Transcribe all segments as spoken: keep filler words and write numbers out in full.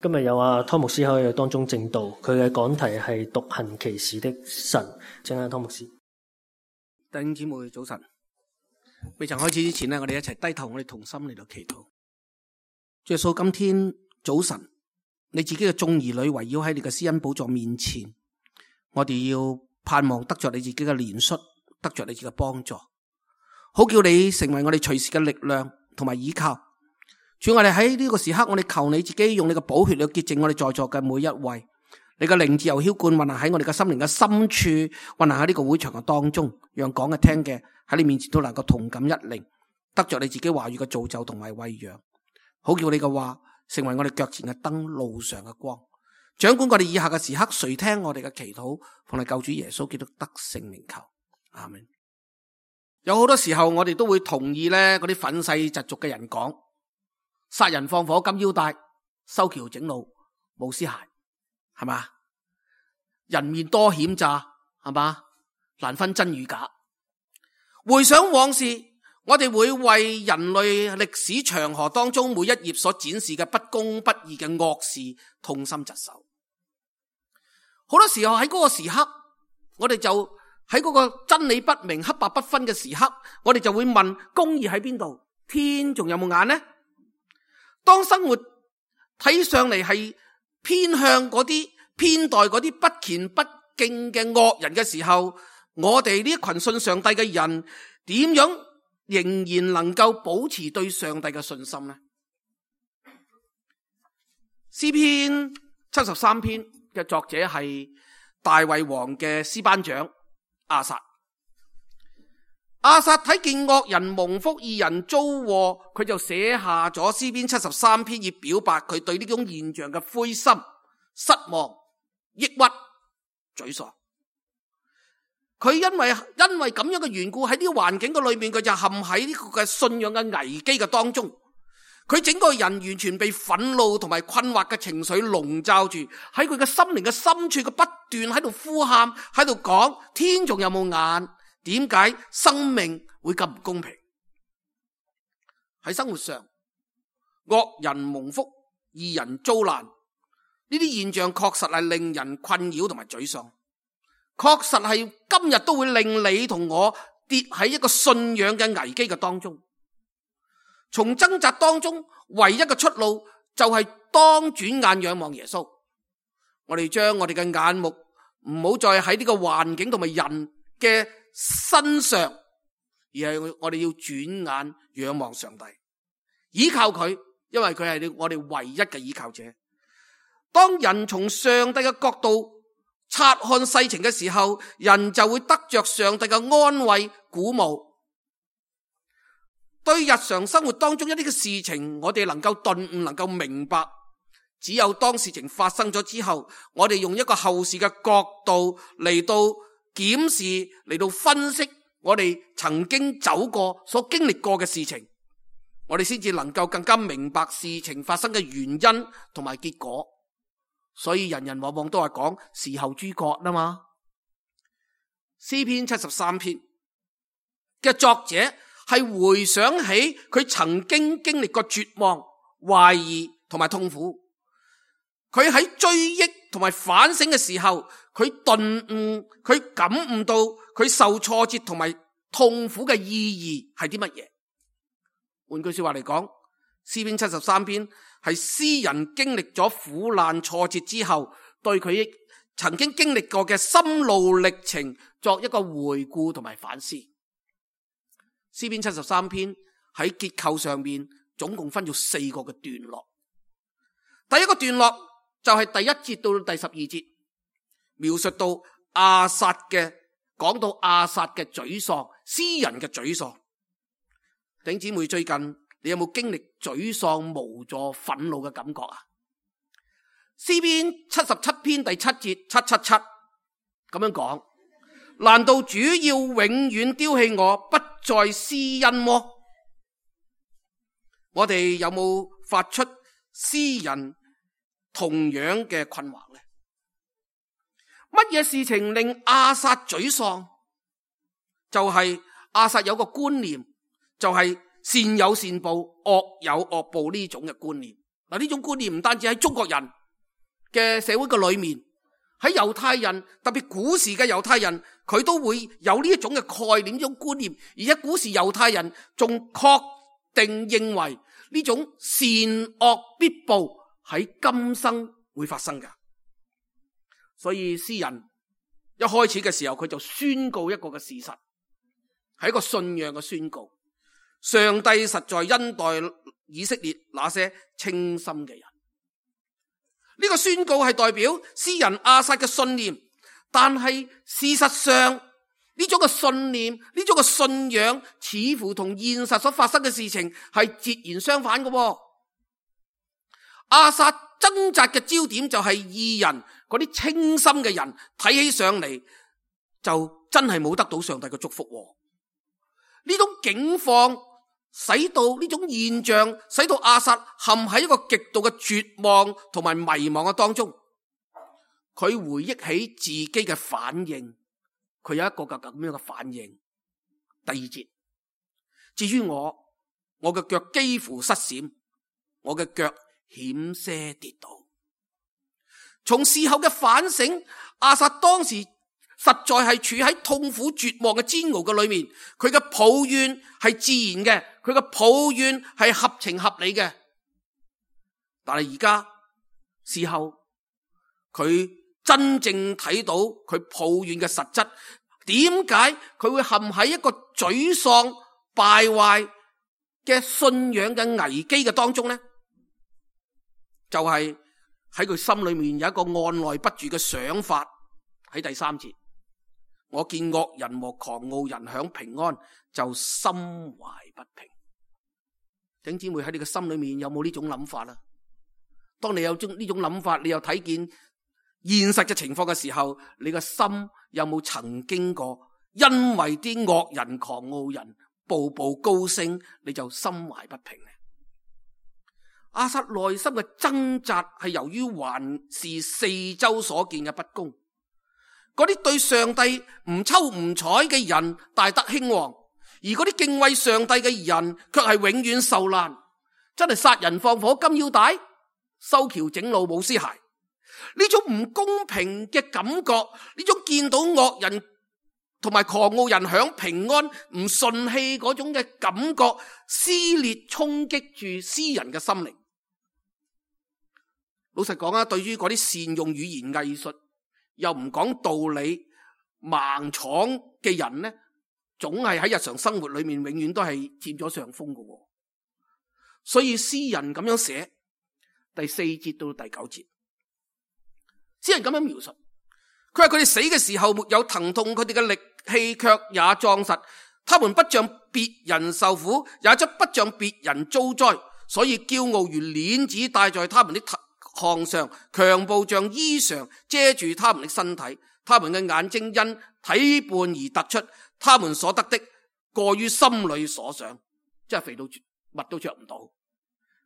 今日有阿湯牧師喺我哋當中證道，佢嘅講題係獨行奇事的神。請阿湯牧師。弟兄姊妹早晨，未曾開始之前呢，我哋一齊低頭，我哋同心嚟到祈禱。主耶穌，今天早晨，你自己嘅眾兒女圍繞喺你嘅施恩寶座面前，我哋要盼望得着你自己嘅憐恤，得着你自己嘅幫助，好叫你成為我哋隨時嘅力量同埋依靠。主，我哋喺呢個時刻，我哋求你自己用你嘅寶血嚟潔淨我哋在座嘅每一位，你嘅靈自由澆灌運行喺我哋嘅心靈嘅深處，運行喺呢個會場嘅當中，讓講嘅聽嘅喺你面前都能夠同感一靈，得着你自己話語嘅造就同埋餵養，好叫你嘅話成為我哋腳前嘅燈，路上嘅光。掌管我哋以下嘅時刻，垂聽我哋嘅祈禱，奉你救主耶穌基督得聖名求，阿們。有好多時候我哋都會同意咧嗰啲憤世嫉俗嘅人講，殺人放火金腰帶，修橋整路冇屍骸，係嘛？人面多險詐，係嘛？難分真與假。回想往事，我哋會為人類歷史長河當中每一頁所展示嘅不公不義嘅惡事痛心疾首。好多時候喺嗰個時刻，我哋就喺嗰個真理不明黑白不分嘅時刻，我哋就會問，公義喺邊度？天仲有冇眼呢？當生活睇上嚟係偏向嗰啲偏待嗰啲不虔不敬嘅惡人嘅時候，我哋呢一群信上帝嘅人點樣仍然能夠保持對上帝嘅信心呢？詩篇七十三篇嘅作者係大衛王嘅詩班長亞薩。亞薩睇見惡人蒙福，義人遭禍，佢就寫下咗詩篇七十三篇，以表白佢對呢種現象嘅灰心、失望、抑鬱、沮喪。佢因為因為咁樣嘅緣故，喺呢個環境嘅裏面，佢就陷喺呢個嘅信仰嘅危機嘅當中。佢整個人完全被憤怒同埋困惑嘅情緒籠罩住，喺佢嘅心靈嘅深處，佢不斷喺度呼喊，喺度講：天仲有冇眼？點解生命會咁唔公平？喺生活上，惡人蒙福，義人遭難，呢啲現象確實係令人困擾同埋沮喪，確實係今日都會令你同我跌喺一個信仰嘅危機嘅當中。從掙扎當中，唯一嘅出路就係當轉眼仰望耶穌。我哋將我哋嘅眼目唔好再喺呢個環境同埋人嘅身上，而係我哋要轉眼仰望上帝，依靠佢，因為佢係我哋唯一嘅依靠者。當人從上帝嘅角度察看世情嘅時候，人就會得着上帝嘅安慰鼓舞。對日常生活當中一啲嘅事情，我哋能夠頓悟，能夠明白，只有當事情發生咗之後，我哋用一個後視嘅角度嚟到檢視，嚟到分析我哋曾經走過所經歷過嘅事情，我哋先至能夠更加明白事情發生嘅原因同埋結果。所以人人往往都係講事後諸葛啦嘛。詩篇七十三篇嘅作者係回想起佢曾經經歷過絕望、懷疑同埋痛苦。佢喺追憶同埋反省嘅時候，佢頓悟，佢感悟到佢受挫折同埋痛苦嘅意義係啲乜嘢。換句說話嚟講，詩篇七十三篇係詩人經歷咗苦難挫折之後，對佢曾經經歷過嘅心路歷程作一個回顧同埋反思。詩篇七十三篇喺結構上面總共分咗四個嘅段落。第一個段落就係第一節到第十二節，描述到亞薩嘅，講到亞薩嘅沮喪，詩人嘅沮喪。弟兄姊妹，最近你有冇經歷沮喪、無助、憤怒嘅感覺啊？詩篇七十七篇第七節，七七七咁樣講：難道主要永遠丟棄我，不再施恩麼？我哋有冇發出詩人同樣嘅困惑呢？乜嘢事情令亞薩沮喪？就係、是、亞薩有個觀念，就係、是、善有善報，惡有惡報呢種嘅觀念。嗱，呢種觀念唔單止喺中國人嘅社會嘅裏面，喺猶太人，特別古時嘅猶太人，佢都會有呢一種嘅概念，呢種觀念。而且古時猶太人仲確定認為呢種善惡必報喺今生會發生嘅。所以詩人一開始嘅時候，佢就宣告一個嘅事實，係一個信仰嘅宣告。上帝實在恩待以色列那些清心嘅人。呢個宣告係代表詩人亞薩嘅信念，但係事實上呢種嘅信念，呢種嘅信仰似乎同現實所發生嘅事情係截然相反嘅。亞薩掙扎嘅焦點就係義人，嗰啲清心嘅人睇起上嚟就真係冇得到上帝嘅祝福。呢種境況使到呢種現象，使到亞薩陷喺一個極度嘅絕望同埋迷茫嘅當中。佢回憶起自己嘅反應，佢有一個咁樣嘅反應。第二節，至於我，我嘅腳幾乎失閃，我嘅腳險些跌倒。從事後嘅反省，亞薩當時實在係處喺痛苦絕望嘅煎熬嘅裏面，佢嘅抱怨係自然嘅，佢嘅抱怨係合情合理嘅。但係而家事後，佢真正睇到佢抱怨嘅實質，點解佢會陷喺一個沮喪敗壞嘅信仰嘅危機嘅當中呢？就係喺佢心裏面有一個按捺不住嘅想法。喺第三節，我見惡人和狂傲人享平安，就心懷不平。弟兄姊妹，喺你嘅心裏面有冇呢種諗法啦？當你有呢種諗法，你又睇見現實嘅情況嘅時候，你嘅心有冇曾經過因為啲惡人狂傲人步步高升，你就心懷不平呢？亞薩內心嘅掙扎係由於環視四周所見嘅不公，嗰啲對上帝唔瞅唔睬嘅人大得興旺，而嗰啲敬畏上帝嘅人卻係永遠受難。真係殺人放火金腰帶，修橋整路冇屍骸。呢種唔公平嘅感覺，呢種見到惡人同埋狂傲人享平安唔順氣嗰種嘅感覺，撕裂衝擊住詩人嘅心靈。老實講啊，對於嗰啲善用語言藝術又唔講道理盲闖嘅人呢，總係喺日常生活裏面永遠都係佔咗上風嘅。所以詩人咁樣寫第四節到第九節，詩人咁樣描述，佢話佢哋死嘅時候沒有疼痛，佢哋嘅力氣卻也壯實，他們不像別人受苦，也則不像別人遭災，所以驕傲如鏈子戴在他們的項上，強暴像衣裳遮住他們的身體，他們嘅眼睛因體胖而突出，他們所得的過於心裏所想，即係肥到乜都着唔到。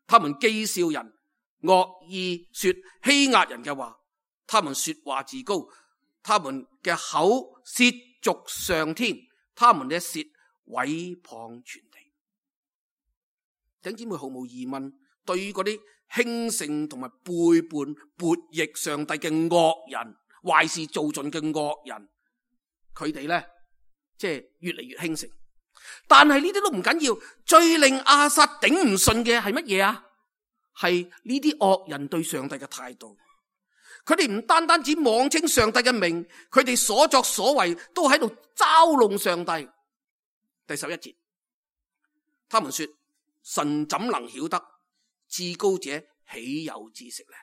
他們譏笑人，惡意說欺壓人嘅話，他們說話自高，他們嘅口褻瀆上天，他們嘅舌毀謗全地。弟兄姊妹，毫無疑問，對於嗰啲興盛同埋背叛悖逆上帝嘅惡人，壞事做盡嘅惡人，佢哋咧即係越嚟越興盛。但係呢啲都唔緊要，最令亞薩頂唔順嘅係乜嘢啊？係呢啲惡人對上帝嘅態度。佢哋唔單單只妄稱上帝嘅名，佢哋所作所為都喺度嘲弄上帝。第十一節，他們說：神怎能曉得？至高者豈有知識呢？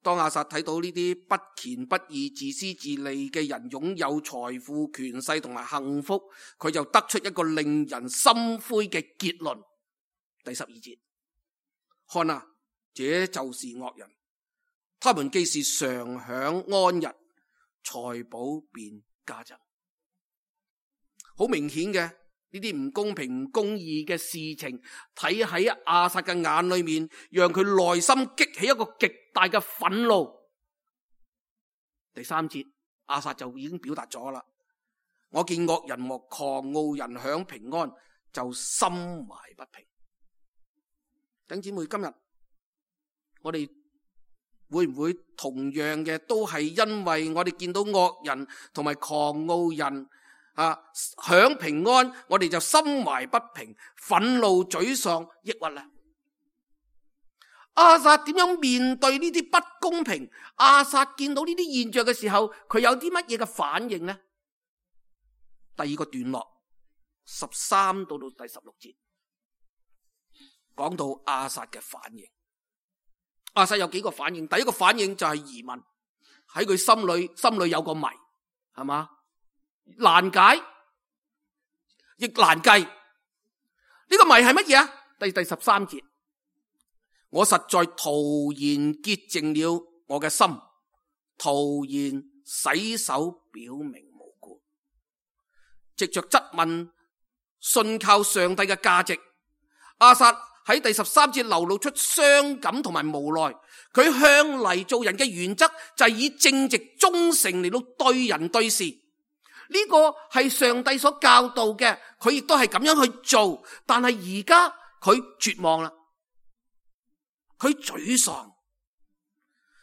當亞薩睇到呢啲不虔不義、自私自利嘅人擁有財富、權勢同埋幸福，佢就得出一個令人心灰嘅結論。第十二節，看啊，這就是惡人，他們既是常享安逸，財寶便加增。好明顯嘅，呢啲唔公平、唔公義嘅事情，睇喺亞薩嘅眼裏面，讓佢內心激起一個極大嘅憤怒。第三節，亞薩就已經表達咗啦。我見惡人和狂傲人享平安，就心懷不平。弟兄姊妹，今日我哋會唔會同樣嘅都係因為我哋見到惡人同埋狂傲人啊享平安，我哋就心懷不平、憤怒、沮喪、抑鬱呢？亞薩點樣面對呢啲不公平？亞薩見到呢啲現象嘅時候，佢有啲乜嘢嘅反應呢？第二個段落十三到到第十六節，講到亞薩嘅反應。亞薩有幾個反應？第一個反應就係疑問，喺佢心裏心裏有個謎，係嘛？難解亦難計。呢、這個謎係乜嘢啊？第第十三節。我實在徒然潔淨了我嘅心，徒然洗手表明無辜。藉着質問信靠上帝嘅價值，亞薩喺第十三節流露出傷感同埋無奈。佢向嚟做人嘅原則就係以正直忠誠嚟到對人對事，呢個係上帝所教導嘅，佢亦都係咁樣去做。但係而家佢絕望啦。佢沮喪，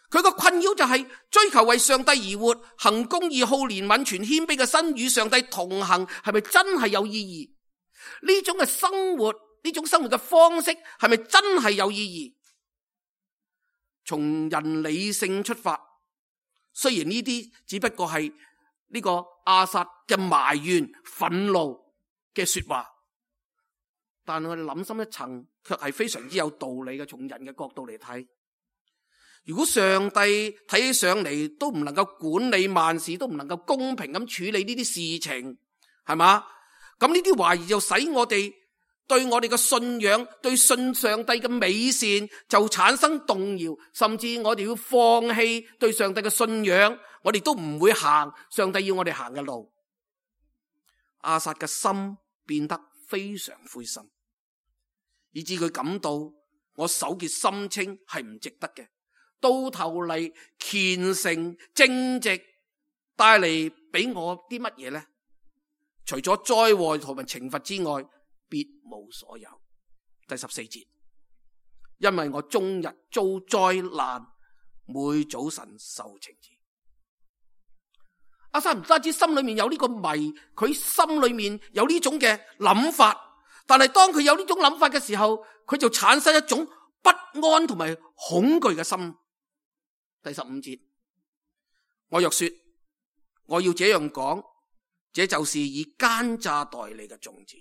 佢個困擾就係追求為上帝而活，行公義、好憐憫、全謙卑嘅心，與上帝同行，係咪真係有意義？呢種嘅生活，呢種生活嘅方式，係咪真係有意義？從人理性出發，雖然呢啲只不過係呢個亞薩嘅埋怨、憤怒嘅說話，但我哋諗深一層，卻係非常之有道理嘅。從人嘅角度嚟睇，如果上帝睇起上嚟都唔能夠管理萬事，都唔能夠公平咁處理呢啲事情，係嘛？咁呢啲懷疑就使我哋對我哋嘅信仰，對信上帝嘅美善就產生動搖，甚至我哋要放棄對上帝嘅信仰，我哋都唔會行上帝要我哋行嘅路。亞薩嘅心變得非常灰心，以致佢感到我手潔心清係唔值得嘅，到頭嚟虔誠正直帶嚟俾我啲乜嘢呢？除咗災禍同埋懲罰之外，別無所有。第十四節，因為我終日遭災難，每早晨受懲治。亞薩唔單止心裏面有呢個謎，佢心裏面有呢種嘅諗法，但係當佢有呢種諗法嘅時候，佢就產生一種不安同埋恐懼嘅心。第十五節，我若說我要這樣講，這就是以奸詐待你嘅種子。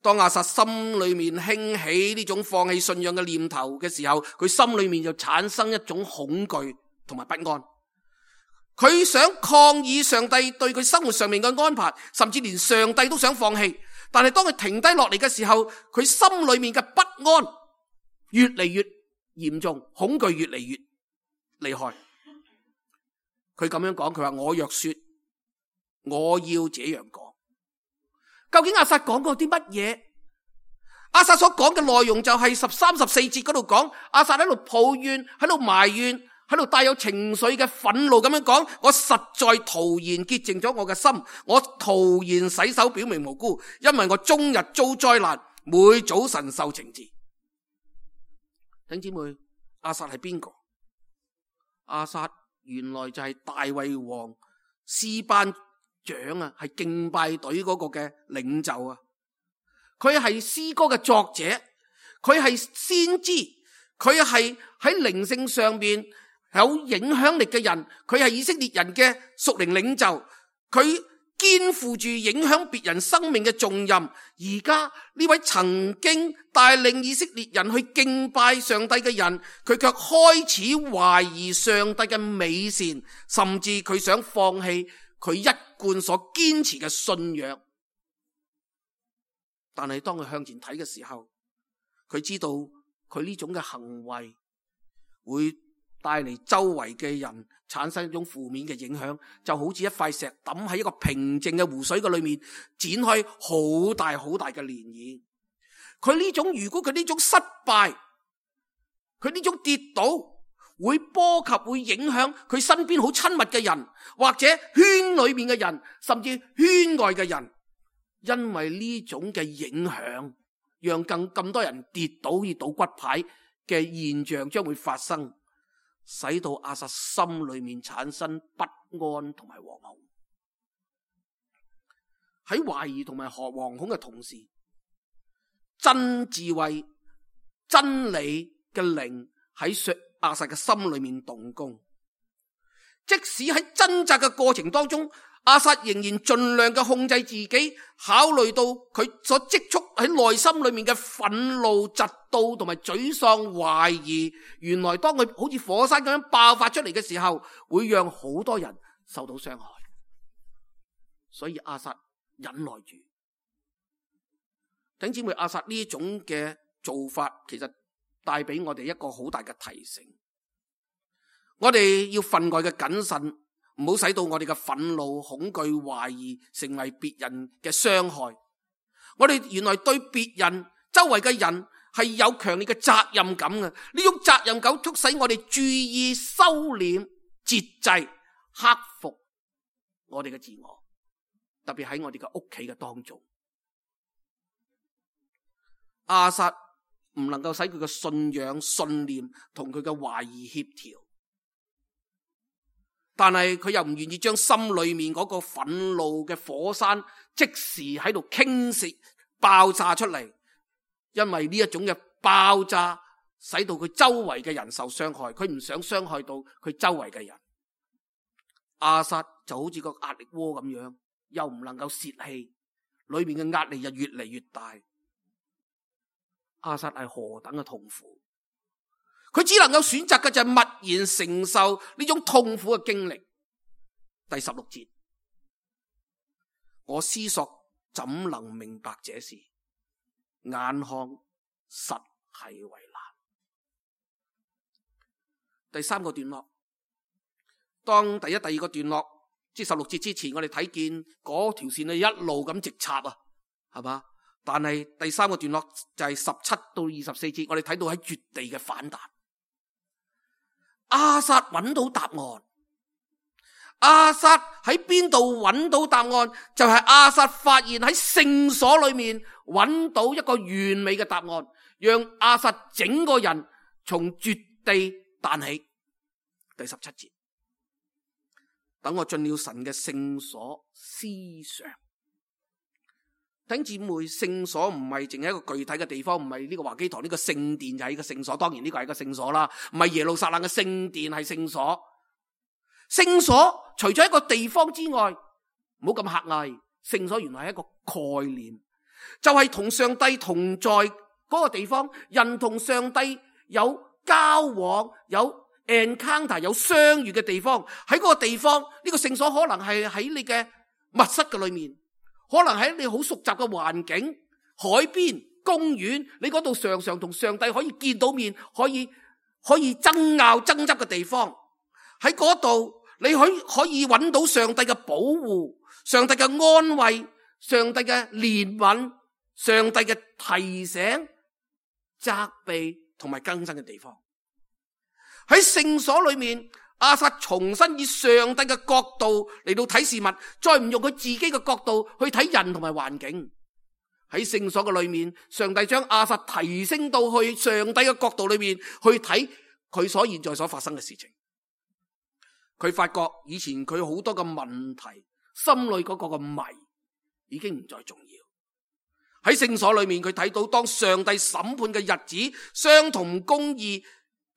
當亞薩心裏面興起呢種放棄信仰嘅念頭嘅時候，佢心裏面就產生一種恐懼同埋不安。佢想抗議上帝對佢生活上面嘅安排，甚至連上帝都想放棄。但係當佢停低落嚟嘅時候，佢心裏面嘅不安越嚟越嚴重，恐懼越嚟越厲害。佢咁樣講，佢話我若說我要這樣講，究竟亞薩講過啲乜嘢？亞薩所講嘅內容就係十三十四節嗰度講，亞薩喺度抱怨，喺度埋怨，喺度帶有情緒嘅憤怒咁樣講，我實在徒然潔淨咗我嘅心，我徒然洗手表明無辜，因為我終日遭災難，每早晨受懲治。弟兄姊妹，亞薩係邊個？亞薩原來就係大衛王詩班長啊，係敬拜隊嗰個嘅領袖啊。佢係詩歌嘅作者，佢係先知，佢係喺靈性上面有影響力嘅人，佢係以色列人嘅屬靈領袖，佢肩負住影響別人生命嘅重任。而家呢位曾經帶領以色列人去敬拜上帝嘅人，佢卻開始懷疑上帝嘅美善，甚至佢想放棄佢一貫所堅持嘅信仰。但係當佢向前睇嘅時候，佢知道佢呢種嘅行為會帶嚟周圍嘅人產生一種負面嘅影響，就好似一塊石抌喺一個平靜嘅湖水嘅裏面，展開好大好大嘅漣漪。佢呢種如果佢呢種失敗，佢呢種跌倒，會波及會影響佢身邊好親密嘅人，或者圈裏面嘅人，甚至圈外嘅人。因為呢種嘅影響，讓更咁多人跌倒而倒骨牌嘅現象將會發生，使到亞撒心裏面產生不安同埋惶恐。喺懷疑同埋惶恐嘅同時，真智慧、真理嘅靈喺亞撒嘅心裏面動工。即使喺掙扎嘅過程當中，亞撒仍然盡量嘅控制自己，考慮到佢所積蓄喺內心裏面嘅憤怒、嫉妒同埋沮喪、懷疑，原來當佢好似火山咁樣爆發出嚟嘅時候，會讓好多人受到傷害。所以亞撒忍耐住。弟兄姊妹，亞撒呢種嘅做法，其實帶俾我哋一個好大嘅提醒。我哋要分外嘅謹慎，唔好使到我哋嘅憤怒、恐懼、懷疑成為別人嘅傷害。我哋原來對別人、周圍嘅人係有強烈嘅責任感嘅。呢種責任感促使我哋注意收斂、節制、克服我哋嘅自我，特別喺我哋嘅屋企嘅當中。亞撒唔能夠使佢嘅信仰、信念同佢嘅懷疑協調。但係佢又唔願意將心裏面嗰個憤怒嘅火山即時喺度傾瀉爆炸出嚟，因為呢一種嘅爆炸使到佢周圍嘅人受傷害，佢唔想傷害到佢周圍嘅人。亞撒就好似個壓力鍋咁樣，又唔能夠泄氣，裏面嘅壓力就越嚟越大。亞撒係何等嘅痛苦，佢只能夠選擇嘅就係默然承受呢種痛苦嘅經歷。第十六節，我思索怎能明白這事，眼看實係為難。第三個段落，當第一、第二個段落即十六節之前，我哋睇見嗰條線一路咁直插啊，係嘛？但係第三個段落就係十七到二十四節，我哋睇到喺絕地嘅反彈。亞撒揾到答案，亞撒喺邊度揾到答案？就係亞撒發現喺聖所裏面揾到一個完美嘅答案，讓亞撒整個人從絕地彈起。第十七節，等我進了神嘅聖所思想。弟兄姊妹，聖所唔係淨係一個具體嘅地方，唔係呢個華基堂呢個聖殿就係一個聖所，當然呢個係一個聖所啦，唔係耶路撒冷嘅聖殿係聖所。聖所除咗一個地方之外，唔好咁狹隘，聖所原來係一個概念，就係同上帝同在嗰個地方，人同上帝有交往，有 encounter， 有相遇嘅地方。喺嗰個地方，呢個聖所可能係喺你嘅密室嘅裏面，可能喺你好熟習嘅環境，海邊、公園，你嗰度常常同上帝可以見到面，可以可以爭拗爭執嘅地方。喺嗰度你可以可以揾到上帝嘅保護、上帝嘅安慰、上帝嘅憐憫、上帝嘅提醒、責備同埋更新嘅地方。喺聖所裏面，亞撒重新以上帝嘅角度嚟到睇事物，再唔用佢自己嘅角度去睇人同埋環境。喺聖所嘅裏面，上帝將亞撒提升到去上帝嘅角度裏面去睇佢所現在所發生嘅事情。佢發覺以前佢好多嘅問題，心裏嗰個嘅謎已經唔再重要。喺聖所裏面，佢睇到當上帝審判嘅日子，相同公義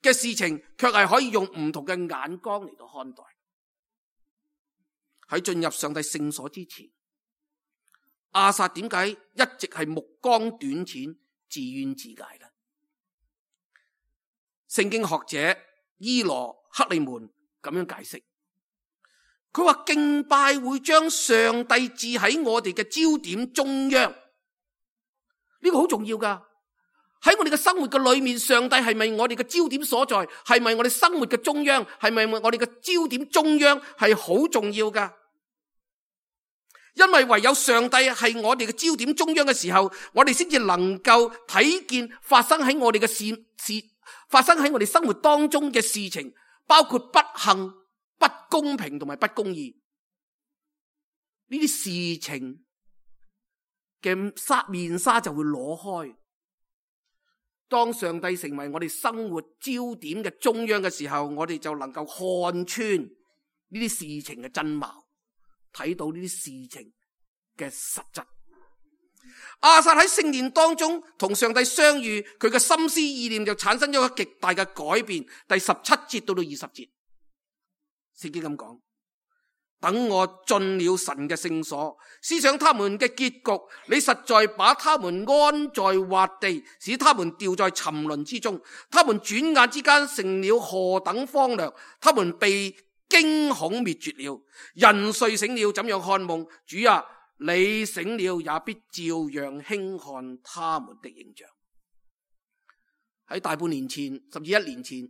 嘅事情，卻係可以用唔同嘅眼光嚟到看待。喺進入上帝聖所之前，亞撒點解一直係目光短淺、自怨自艾呢？聖經學者伊羅克利門咁樣解釋，佢話敬拜會將上帝置喺我哋嘅焦點中央，呢個好重要噶。喺我哋嘅生活嘅裏面，上帝係咪我哋嘅焦點所在？係咪我哋生活嘅中央？係咪我哋嘅焦點中央？係好重要噶。因為唯有上帝係我哋嘅焦點中央嘅時候，我哋先至能夠睇見發生喺我哋嘅事事，發生喺我哋生活當中嘅事情，包括不幸、不公平同埋不公義呢啲事情嘅紗面紗就會攞開。當上帝成為我哋生活焦點嘅中央嘅時候，我哋就能夠看穿呢啲事情嘅真貌，睇到呢啲事情嘅實質。亞薩喺聖殿當中同上帝相遇，佢嘅心思意念就產生咗一個極大嘅改變。第十七節到到二十節，聖經咁講：等我進了神嘅聖所，思想他們嘅結局，你實在把他們安在滑地，使他們掉在沉淪之中。他們轉眼之間成了何等荒涼，他們被驚恐滅絕了。人睡醒了，怎樣看夢？主啊，你醒了，也必照樣輕看他們的影像。喺大半年前，甚至一年前，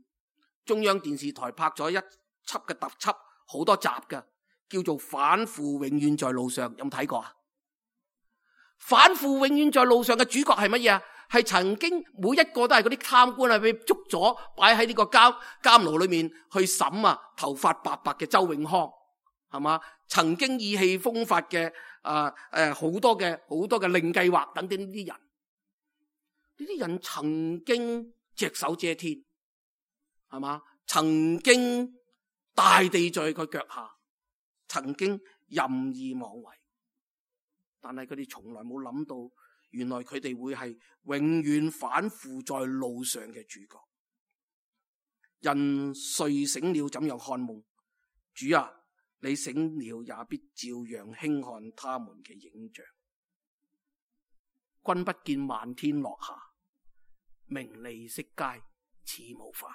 中央電視台拍咗一輯嘅特輯，好多集嘅，叫做《反腐永遠在路上》，有冇睇過啊？反腐永遠在路上嘅主角係乜嘢啊？係曾經每一個都係嗰啲貪官啊，被捉咗擺喺呢個監監牢裏面去審啊，頭髮白白嘅周永康，係嘛？曾經意氣風發嘅啊誒好多嘅好多嘅令計劃等等呢啲人，呢啲人曾經隻手遮天，係嘛？曾經大地在佢腳下，曾經任意妄為，但係佢哋從來冇諗到，原來佢哋會係永遠反腐在路上嘅主角。人睡醒了，怎樣看夢？主啊，你醒了，也必照樣輕看他們嘅影像。君不見漫天落霞，名利色階似無花。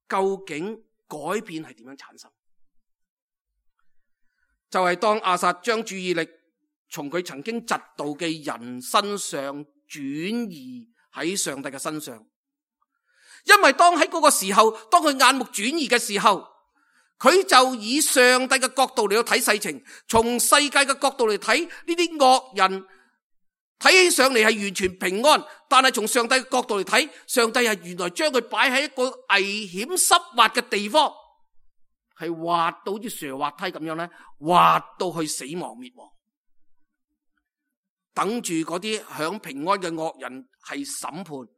究竟改變係點樣產生？就係、是、當亞薩將注意力從佢曾經嫉妒嘅人身上轉移喺上帝嘅身上，因為當喺嗰個時候，當佢眼目轉移嘅時候，佢就以上帝嘅角度嚟到睇世情，從世界嘅角度嚟睇呢啲惡人，睇起上嚟係完全平安，但係從上帝嘅角度嚟睇，上帝係原來將佢擺喺一個危險濕滑嘅地方，係滑到好似蛇滑梯咁樣咧，滑到去死亡滅亡，等住嗰啲享平安嘅惡人係審判，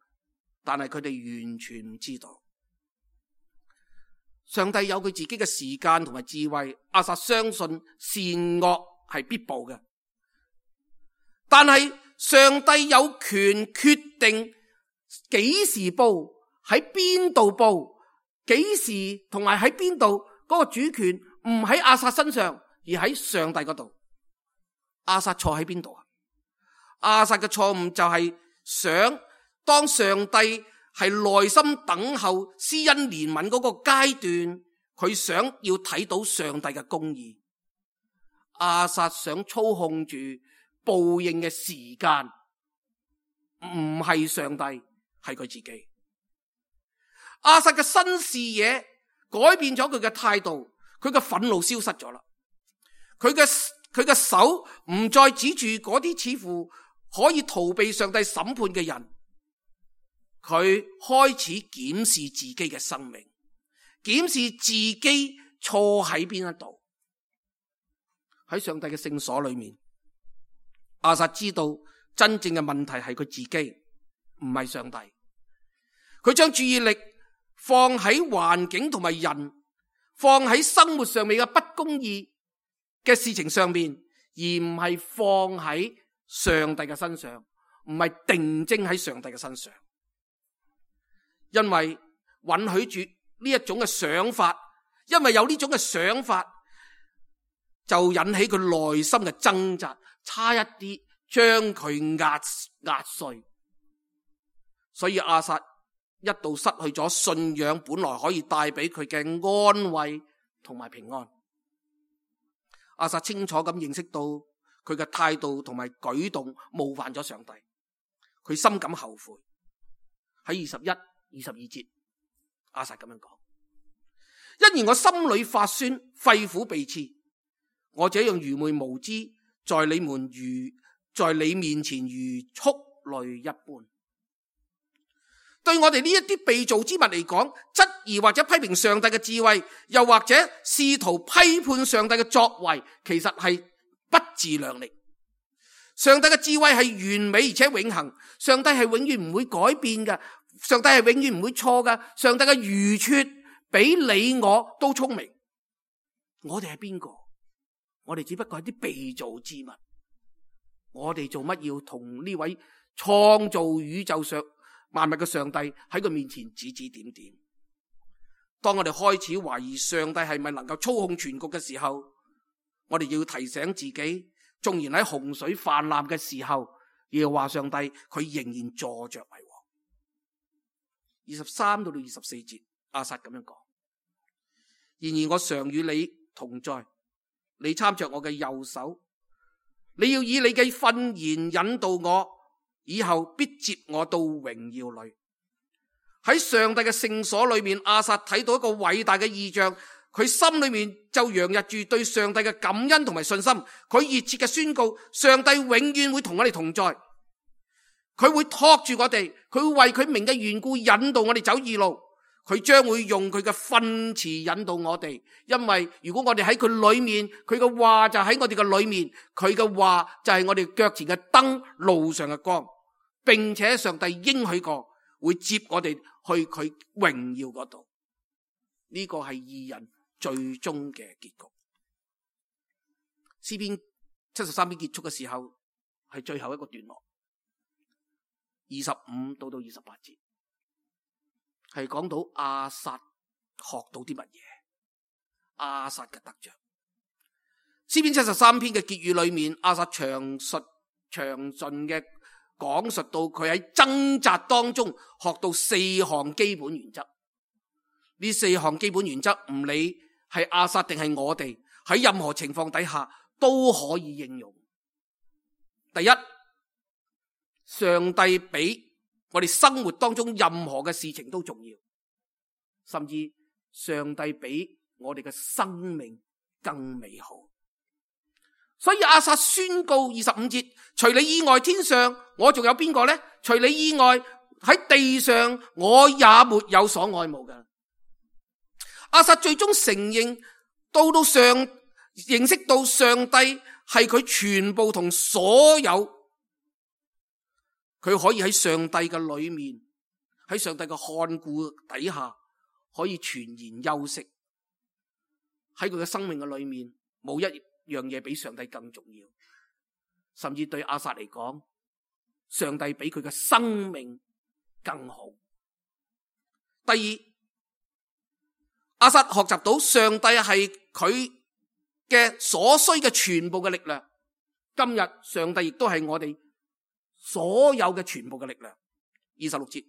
但係佢哋完全唔知道，上帝有佢自己嘅時間同埋智慧。亞薩相信善惡係必報嘅，但係上帝有權決定幾時報，喺邊度報，幾時同埋喺邊度。嗰個主權唔喺亞薩身上，而喺上帝嗰度。亞薩錯喺邊度啊？亞薩嘅錯誤就係想當上帝係耐心等候施恩憐憫嗰個階段，佢想要睇到上帝嘅公義。亞薩想操控住報應嘅時間，唔係上帝，係佢自己。亞薩嘅新視野改變咗佢嘅態度，佢嘅憤怒消失咗啦。佢嘅佢嘅手唔再指住嗰啲似乎可以逃避上帝審判嘅人，佢開始檢視自己嘅生命，檢視自己錯喺邊一度。喺上帝嘅聖所裏面，亞薩知道真正嘅問題係佢自己，唔係上帝。佢將注意力放喺環境同埋人，放喺生活上面嘅不公義嘅事情上面，而唔係放喺上帝嘅身上，唔係定睛喺上帝嘅身上。因為允許住呢一種嘅想法，因為有呢種嘅想法，就引起佢內心嘅掙扎，差一啲將佢壓壓碎。所以亞薩一度失去咗信仰本來可以帶俾佢嘅安慰同埋平安。亞薩清楚咁認識到佢嘅態度同埋舉動冒犯咗上帝，佢深感後悔。喺二十一、二十二節，亞薩咁樣講：因而我心裏發酸，肺腑被刺，我這樣愚昧無知，在你們如在你面前如畜類一般。對我哋呢一啲被造之物嚟講，質疑或者批評上帝嘅智慧，又或者試圖批判上帝嘅作為，其實係不自量力。上帝嘅智慧係完美而且永恆，上帝係永遠唔會改變嘅，上帝係永遠唔會錯嘅，上帝嘅愚拙比你我都聰明。我哋係邊個？我哋只不過係啲被造之物。我哋做乜要同呢位創造宇宙上萬物嘅上帝喺佢面前指指點點？當我哋開始懷疑上帝係咪能夠操控全局嘅時候，我哋要提醒自己，縱然喺洪水泛濫嘅時候，耶和華上帝佢仍然坐着為王。二十三到到二十四節，亞薩咁樣講：然而我常與你同在，你參着我嘅右手，你要以你嘅訓言引導我，以後必接我到榮耀裏。喺上帝嘅聖所裏面，亞薩睇到一個偉大嘅異象，佢心裏面就洋溢住對上帝嘅感恩同埋信心。佢熱切嘅宣告，上帝永遠會同我哋同在，佢會托住我哋，佢會為佢名嘅緣故引導我哋走義路，佢將會用佢嘅訓詞引導我哋。因為如果我哋喺佢裏面，佢嘅話就喺我哋嘅裏面，佢嘅話就係我哋腳前嘅燈，路上嘅光，並且上帝應許過會接我哋去佢榮耀嗰度。呢個係義人最終嘅結局。詩篇七十三篇結束嘅時候係最後一個段落，二十五到到二十八節係講到亞薩學到啲乜嘢，亞薩嘅得着。詩篇七十三篇嘅結語裏面，亞薩詳述詳盡嘅講述到佢喺掙扎當中學到四項基本原則。呢四項基本原則唔理係亞薩定係我哋，喺任何情況底下都可以應用。第一，上帝比我哋生活當中任何嘅事情都重要，甚至上帝比我哋嘅生命更美好。所以亞薩宣告二十五節，除你以外天上我仲有邊個呢？除你以外喺地上我也沒有所愛慕嘅。亞薩最終承認到到上認識到上帝係佢全部同所有，佢可以喺上帝嘅裏面，喺上帝嘅看顧底下可以全然休息。喺佢嘅生命嘅裏面冇一樣嘢比上帝更重要，甚至對亞薩嚟講，上帝比佢嘅生命更好。第二，亞薩學習到上帝係佢嘅所需嘅全部嘅力量。今日上帝亦都係我哋所有嘅全部嘅力量。二十六節，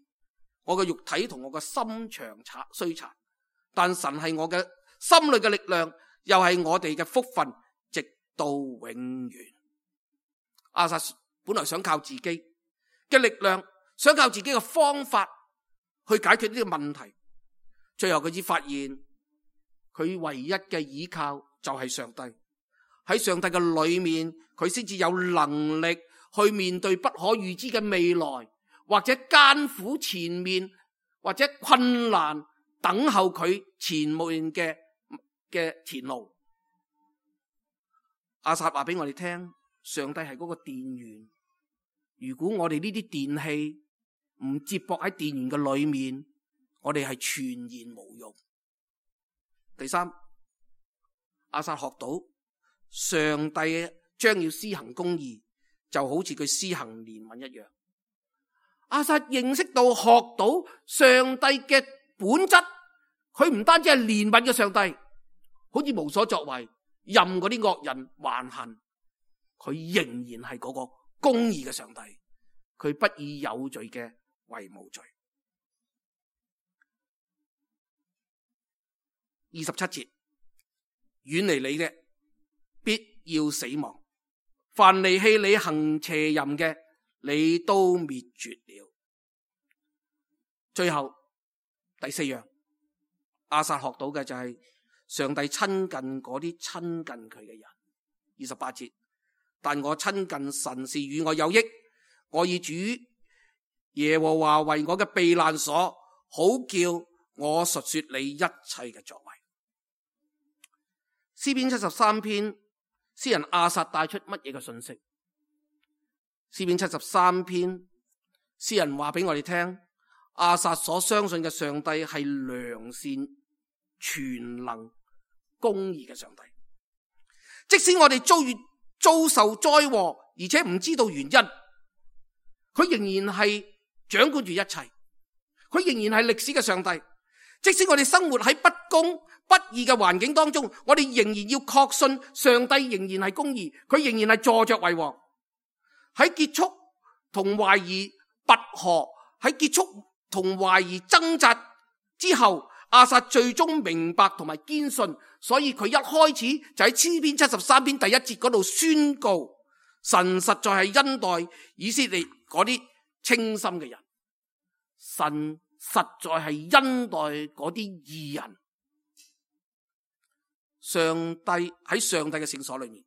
我嘅肉體同我嘅心腸衰殘，但神係我嘅心裏嘅力量，又係我哋嘅福分，直到永遠。亞薩本來想靠自己嘅力量，想靠自己嘅方法去解決呢個問題，最後佢只發現佢唯一嘅依靠就係上帝。喺上帝嘅裏面，佢先至有能力去面對不可預知嘅未來，或者艱苦前面，或者困難等候佢前面嘅嘅前路。亞薩話俾我哋聽，上帝係嗰個電源，如果我哋呢啲電器唔接駁喺電源嘅裏面，我哋係全然無用。第三，亞薩學到上帝將要施行公義，就好似佢施行憐憫一樣。亞薩認識到學到上帝嘅本質，佢唔單止係憐憫嘅上帝，好似無所作為，任嗰啲惡人橫行，佢仍然係嗰個公義嘅上帝，佢不以有罪嘅為無罪。二十七節，遠離你嘅必要死亡，凡離棄你行邪淫嘅，你都滅絕了。最後第四樣，亞薩學到嘅就係上帝親近嗰啲親近佢嘅人。二十八節，但我親近神是與我有益，我以主耶和華為我嘅避難所，好叫我述說你一切嘅作為。詩篇七十三篇，詩人亞薩帶出乜嘢嘅信息？詩篇七十三篇，詩人話俾我哋聽，亞薩所相信嘅上帝係良善、全能、公義嘅上帝。即使我哋遭遇遭受災禍，而且唔知道原因，佢仍然係掌管住一切，佢仍然係歷史嘅上帝。即使我哋生活喺不公不義嘅環境當中，我哋仍然要確信上帝仍然係公義，佢仍然係坐着為王。喺結束同懷疑拔河，喺結束同懷疑掙扎之後，亞薩最終明白同埋堅信，所以佢一開始就喺詩篇七十三篇第一節嗰度宣告，神實在係恩待以色列嗰啲清心嘅人，神實在係恩待嗰啲義人。上帝喺上帝嘅聖所裏面，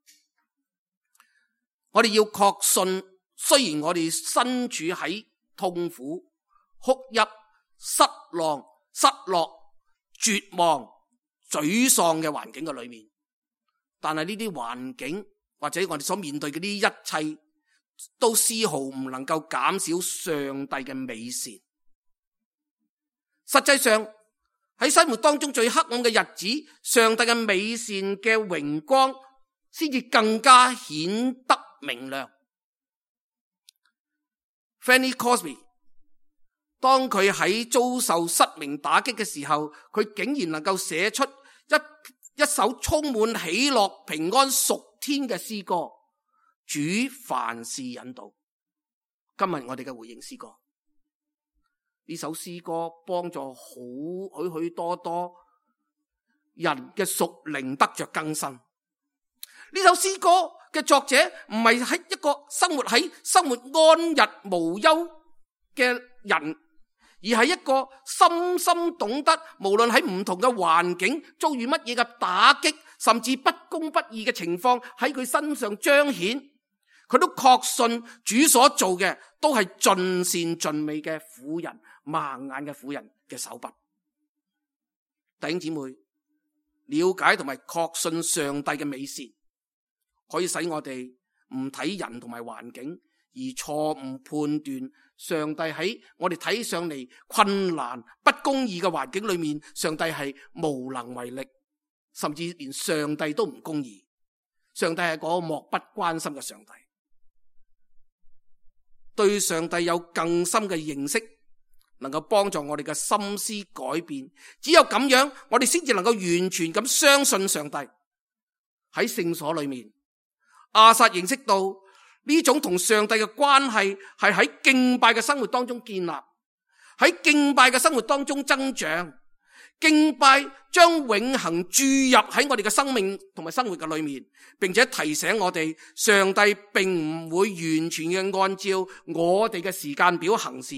我哋要確信，雖然我哋身處喺痛苦、哭泣、失望、失落、絕望、沮喪嘅環境嘅裏面，但係呢啲環境或者我哋所面對嘅呢一切，都絲毫唔能夠減少上帝嘅美善。實際上喺生活當中最黑暗嘅日子，上帝嘅美善嘅榮光先至更加顯得明亮。Fanny Crosby 當佢喺遭受失明打擊嘅時候，佢竟然能夠寫出一一首充滿喜樂、平安、屬天嘅詩歌，主凡事引導。今日我哋嘅回應詩歌，呢首詩歌幫助好許許多多人嘅屬靈得着更新。呢首詩歌嘅作者唔係喺一個生活喺生活安逸無憂嘅人，而係一個深深懂得無論喺唔同嘅環境遭遇乜嘢嘅打擊，甚至不公不義嘅情況喺佢身上彰顯，佢都確信主所做嘅都係盡善盡美嘅婦人、盲眼嘅婦人嘅手筆。弟兄姊妹，了解同埋確信上帝嘅美善，可以使我哋唔睇人同埋環境，而錯誤判斷上帝喺我哋睇上嚟困難不公義嘅環境裏面，上帝係無能為力，甚至連上帝都唔公義。上帝係嗰個漠不關心嘅上帝。對上帝有更深嘅認識，能夠幫助我哋嘅心思改變。只有咁樣，我哋先至能夠完全咁相信上帝。喺聖所裏面，亞薩認識到呢種同上帝嘅關係係喺敬拜嘅生活當中建立，喺敬拜嘅生活當中增長。敬拜將永恆注入喺我哋嘅生命同埋生活嘅裏面，並且提醒我哋，上帝並唔會完全嘅按照我哋嘅時間表行事。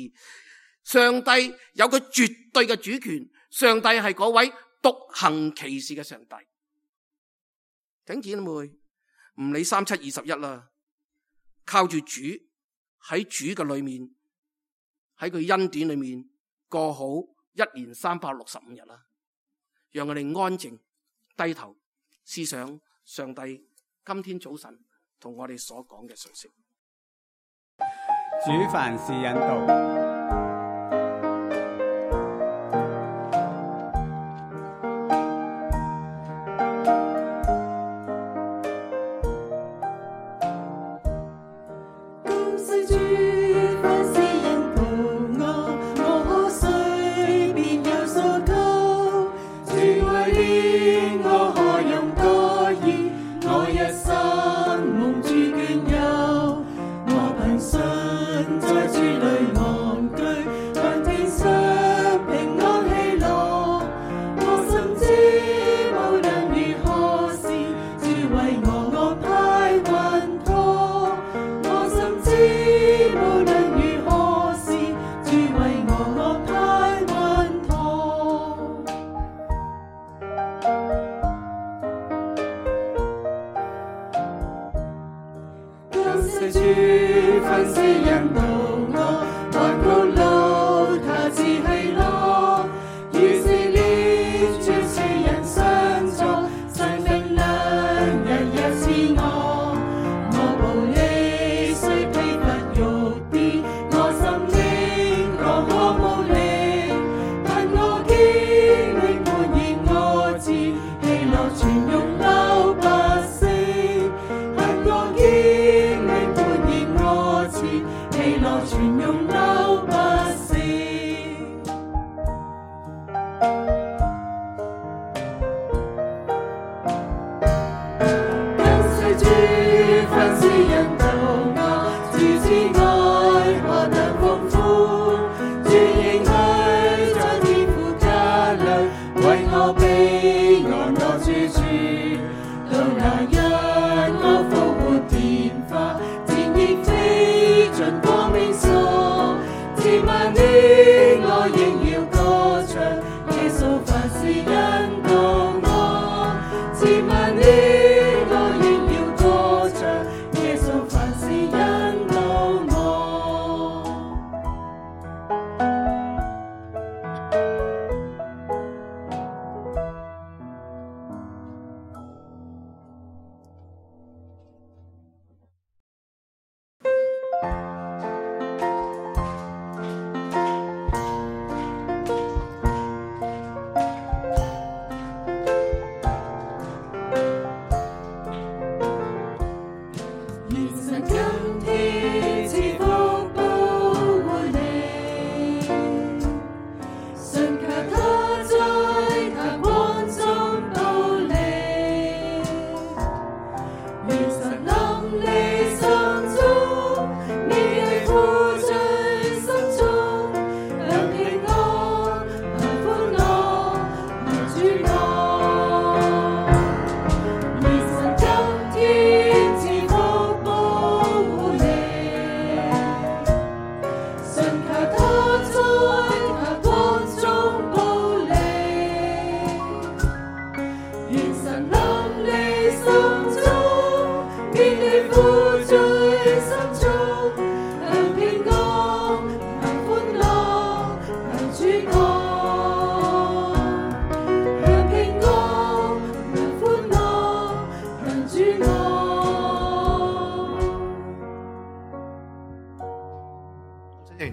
上帝有佢絕對嘅主權，上帝係嗰位獨行其事嘅上帝。弟兄姊妹，唔理三七二十一啦，靠住主，喺主嘅裏面，喺佢恩典裏面過好一年三百六十五日啦，讓我哋安靜低頭思想上帝今天早晨同我哋所講嘅信息。主凡事引導。在主裏安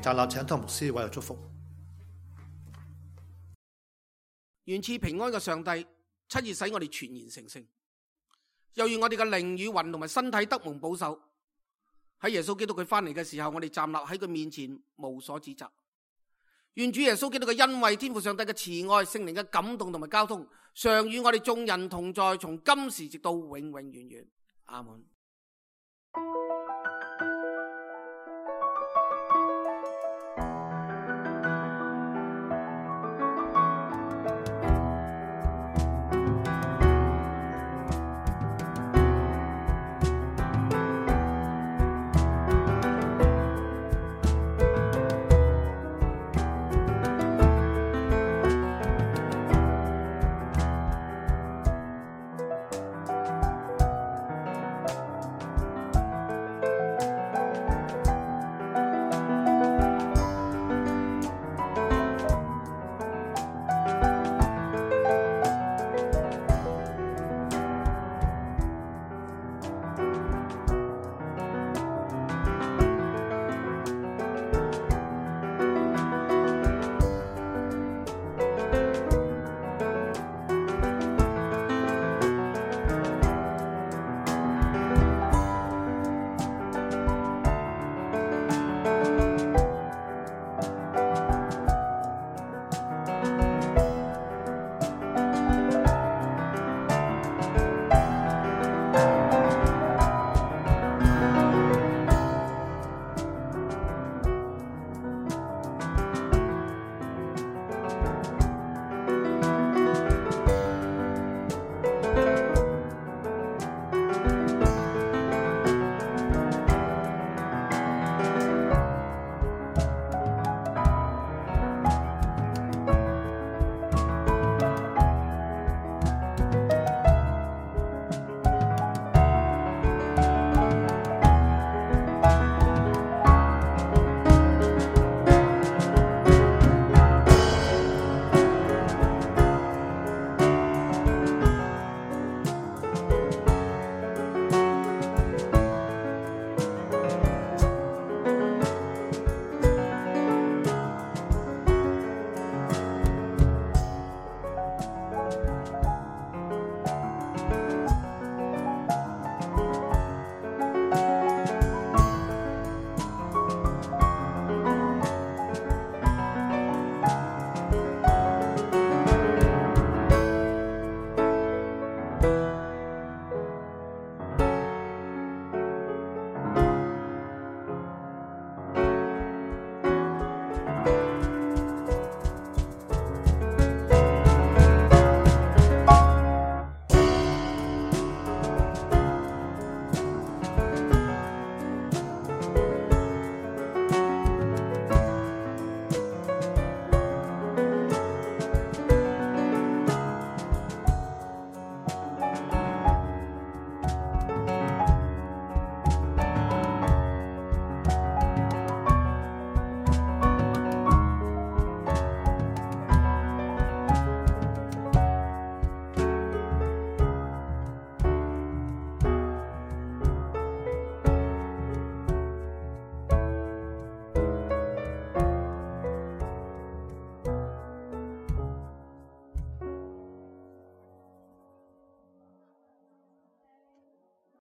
站立，請湯牧師為我祝福。願賜平安嘅上帝親自使我哋全然成聖，又願我哋嘅靈與魂同埋身體得蒙保守。喺耶穌基督佢翻嚟嘅時候，我哋站立喺佢面前無所指責。願主耶穌基督嘅恩惠、天父上帝嘅慈愛、聖靈嘅感動同埋交通，常與我哋眾人同在，從今時直到永永遠遠。阿門。